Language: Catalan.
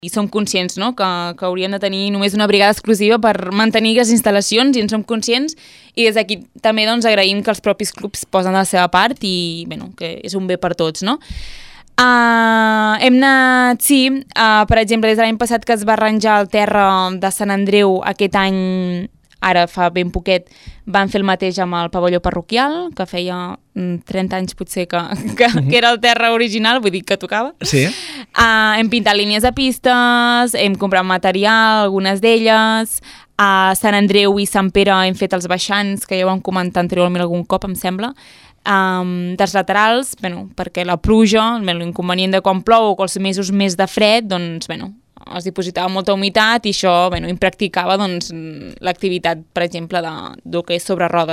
I som conscients, no?, que hauríem de tenir només una brigada exclusiva per mantenir les instal·lacions, i en som conscients, i des d'aquí també doncs, agraïm que els propis clubs posen de la seva part i bueno, que és un bé per tots, no? Hem anat, sí, per exemple, des de l'any passat que es va arranjar el terra de Sant Andreu, aquest any, ara fa ben poquet, van fer el mateix amb el pavelló parroquial, que feia 30 anys potser que era el terra original, vull dir que tocava. Sí. Hem pintat línies de pistes, hem comprat material, algunes d'elles. A Sant Andreu i Sant Pere hem fet els baixants, que ja ho vam comentar anteriorment algun cop, em sembla. Dels laterals, bueno, perquè la pluja, l'inconvenient de quan plou o els mesos més de fred, doncs, bueno, es dipositava molta humitat i això, bueno, impracticava doncs, l'activitat, per exemple, del que és sobre rodes.